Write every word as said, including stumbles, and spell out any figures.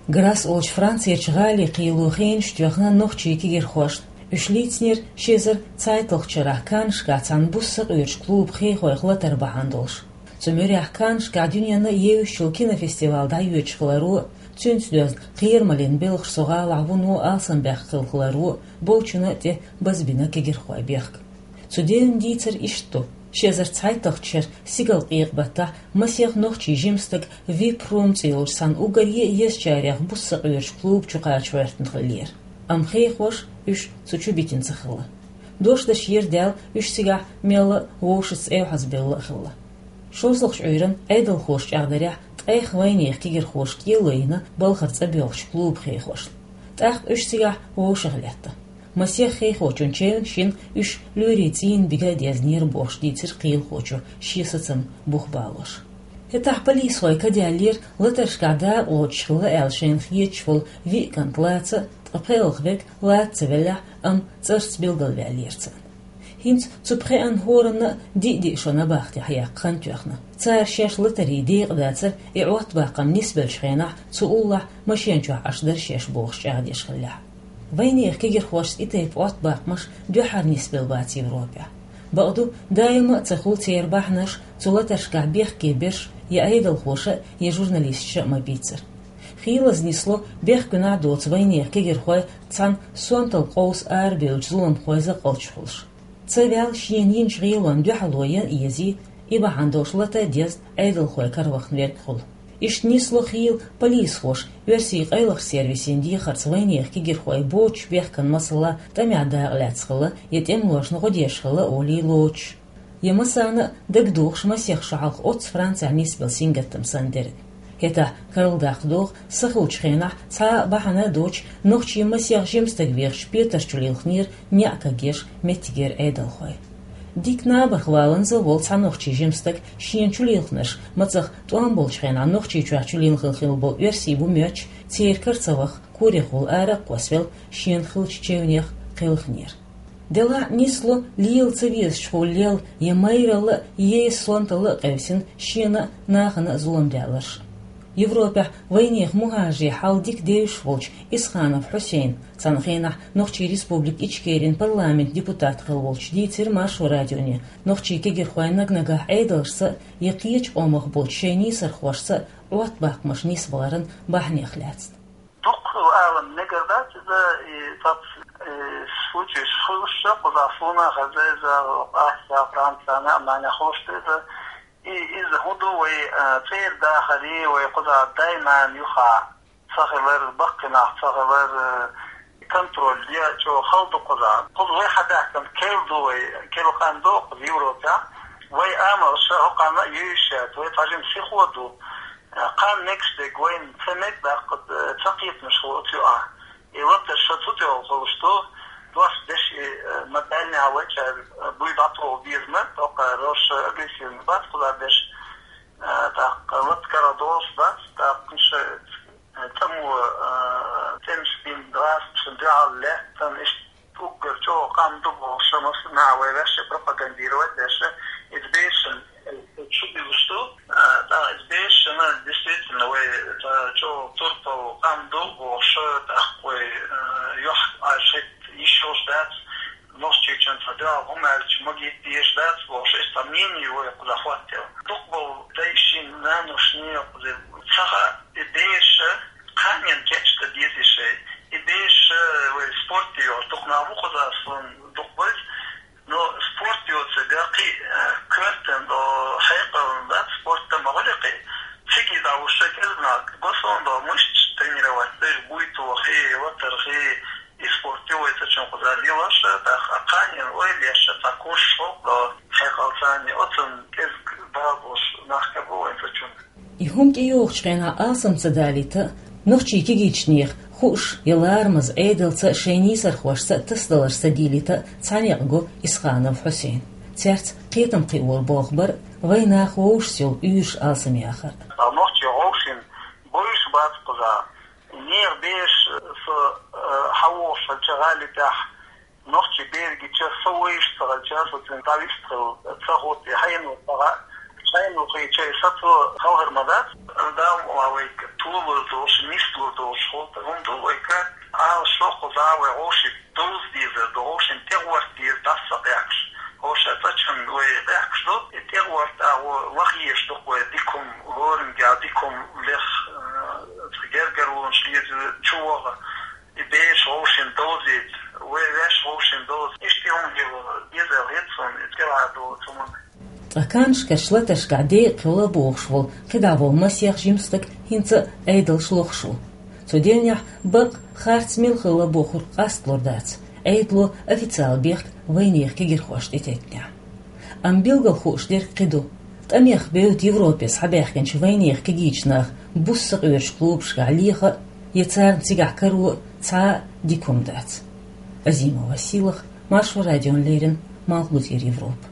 Грасс олчу Францерчу гӀали кхело хенаш тоьхна нохчийн кегирхошна. Уьш лийцинера ши эзар цхьайтталгӀачу шарахь Каннашкахь цхьана буса сакъоьруш клубан хехойх латар бахьана долуш. Цу муьрехь Каннашкахь дуьненна евзаш йолу кинофестиваль дӀайоьдуш хиларо, цуьнца доьзна кхерамаллин белхаш цу гӀалахь вуно алсамбаьккхина хиларо, болчунна а тӀе базбина кегирхойн бехк. Цу девнан дийцар иштта ду: ши эзар цхьайтталгӀачу шеран стигалкъекъа баттахь масех нохчийн жима стаг вип-рум цӀе йолчу цхьана уггаре а езачарех буса сакъоьруш клуба чу кхача гӀоьртина хиллера. Амма хехоша уьш цу чу битина ца хилла. Дош дашера даьлла уьш цигахь мелла а вовшашца эвхьазбелла а хилла. ШолгӀачу Ӏуьйранна Ӏедалхоша чӀагӀдарехь, ткъех вайнехан кегирхоша кӀело йина балхара цӀа боьлхучу клубан хехошна. ТӀаккха уьш цигахь вовшах летта. Масех хехочун чевнаш йина уьш лоьрийн цӀийнан бига а дезнера бохуш дийцира кхелахочо шен сацам бух балош. ХӀетахь полисхой ка даьллера, латаршкахь дакъа лоцуш хилла аьлла шайна хеташ волу виъ кӀант лаца, ткъа пхеалгӀа верг лаца ца веллехь, амма цӀарца билгалваьллера царна. ХӀинца цу пхеанна хӀоранна а диъ-диъ шо набахтехь яккха хан тоьхна. Цара шаьш латарийн декъадацар и Ӏоттабаккхам нисбеллачу хенахь цу уллохь машен чохь Ӏаш дара шаьш бохуш чӀагӀдеш хиллехь. Вайнехан кегирхошца и тайпа Ӏоттабаккхамаш дуьххьара нисбелла бац Европехь. Бакъду, даима а ца хуьлу церан бахьанаш цу латаршкахь бехке берш я Ӏедалхоша а, я журналисташа а ма-бийццара. Хийлаза нисло бехкуьнахь доцу вайнехан кегирхой цхьана сонталла къовса арабевллачу зуламхойн закъалчу хуьлуш. Ца ваьлла шена йинчу гӀелонна дуьхьало ян а езий, и бахьана долуш лата а дезна Ӏедалхойн каравахна верг хуьлу. Иштта нисло хийла полисхоша оьрсийн къайлахчу сервисийн дехарца вайнехан кегирхой боцучу бехкан масала тӀамехь дакъа лаьцна хилла я тӀемалошна гӀо деш хилла олий лоцуш. Я массарна а дагадогӀуш масех шо хьалха оццу Францехь нисбелла сингаттам санна дерг. ХӀетахь карладаккха догӀу, са хуьлучу хенахь цхьа а бахьана а доцуш нохчийн масех жима стаг вехаш Петар чу лилхинера неӀ кагъеш меттигера Ӏедалхой. Дика набарх валанза волу цхьа нохчийн жима стаг шена чу лилхинарш мацах тӀом болчу хенахь Нохчийчохь чу лилхина хилла болу оьрсий бу моьттуш, церан кара ца ваха, корехула ара а кхоссавелла, шена хиллачу чевнех кхелхинера. Делахь а нисло лела ца везачу хьолаллел я майралла а, я сонталла а къевсина шена а, нахана а зулам даьлларш. Европехь вайнехан мухӀажарийн хьал дика девзаш волчу Исханов Хьусейна, цхьана хенахь Нохчийн Республика Ичкерин парламентан депутат хилла волчу, дийцира Маршо радионе, нохчийн кегирхой наг-нагахь Ӏедалшца а, я кхечу къомах болчу шайн нийсархошца а Ӏоттабаккхамаш нисбаларан бахьанех лаьцна. Дукха алан мегар дац иза, и цац, э, случайш хуьлуш, кхузахь суна хеза иза, Австрия, Франция, Германия хуьлуш ду иза. И иза хӀун ду вай, э, цӀера дахаре, вай кхузахь дай-нана юха ца хилар, баккхий нах ца хилар, э, контроль я чӀогӀа хала ду кхузахь. Кхуза вай хьадаьхкина керла ду вай, керла къам ду кхуза Европехь. Вай амалша хӀокхарна а йовзуш яц, вай цхьа жима сихо ду. Кхана мегаш дерг вайна ца мега даккха, ца кхетамаш хилла оцу юкъахь. И латар ша цу тӀехула хуьлуш ду, дош деш и, э, ма-, даьллехь вайчара, э, буй дӀатоху беза ма, тӀаккха роша агрессивный бац кхузахь деш, э, тӀаккха лата карладолуш бац, тӀаккха ша, э, тӀамо, э, тӀемаш бина гӀазкхашна дуьхьал лаьттан, иштта уггар чӀогӀа къам ду бохуш, массанхьа вай ваьшша пропагандировать деш, иза бершина, э, чу буьлуш ду. А, тӀаккха иза бершина, действительно, вай, э, чӀогӀа турпал къам ду бохуш, тӀаккха вай, э, юьхь Ӏаш хӀетта йиш йолуш дац, Нохчийчунна цхьа дуьхьал хӀума аьлча магийта дезаш дац бохуш, иза цхьа мнение вай кхузахь хӀоттаелла. Дукха болу дайшин, наношна кхуза ца хаьа, и бераш кханенна кечдан дезий шай. И бераш, э, вай спорте йолуш дукха нах бу кхузахь, суна дукха беза. Но спорт йоцург кхин, э, коьртана долу, хьекъална дац, спорт ма хуьлу кхин. Цига дӀалуш кӀезиг нах го суна долу мышц тренировать деш, буй тохий, латархий, и спорт ю вай цачун кхузахь лелаш, тӀаккха кханенна ойла еш, цхьа курс хӀокху долу хьекъал царна, оцунна кӀезиг бала болуш нах ка бу вайн цачун. И хӀума тӀейогӀучу хенахь алсам ца далийта а, нохчийн кегийчу нехан хууш я ларамаза Ӏедалца а, шайн нийсархошца а тасадаларш ца дийлийта а цхьа некъ го Исханов Хьусейн. Цаьрца кхетам кхиор болх бар а, вайн нах вовшашца йолу уьйраш алсам яхар а. Нохчийн вовшийн буйш бац кхузахь. Нехан бераш, со, э, хьан вохуш хилча гӀали тӀехь, нохчийн бер гича, со вуьйш ца хилча, со цуьнан дӀавист хила ца хӀутту, и хьайна ву ца хаьа, хьайна ву хилча, и сацо хала хир ма дац. Дала ма вайга толур долуш, нислур долуш А вай гӀовши довза дезар ду, гӀовшин тӀегӀорта деза дас ца къехкаш. ХӀоша цӀачун вай къехкаш ду, и тӀегӀорта а вай лахъеш ду вай дикум, лоринга дикум лех, э, гергарлонаш леза чувагӀа, и беш гӀовшин довзийта, вай веш гӀовшин довза. Иштта хӀума хила деза хӀецун, и тӀера ду цуман. Ткъа каннашкарча латашкахь декъе хилла бохуш волу кхидӀа волу масех жима стаг хӀинца а Ӏедалш лохуш ву. Цу дийнахь бакъ харц мила хилла бохург къасталур дац, Ӏедало официалан бехк вайнехан кегийрхошна тӀететтинехь. Амма билггал хууш дерг кхин ду. ТӀамех бевдда Европе схьабаьхкинчу вайнехан кегийчу наха буса сакъоьруш клубашкахь леха а, я царна цигахь каро а цхьа а дика хӀума дац. Азимова Сийлаха, Маршо радиона леррина, Малхбузера Европа.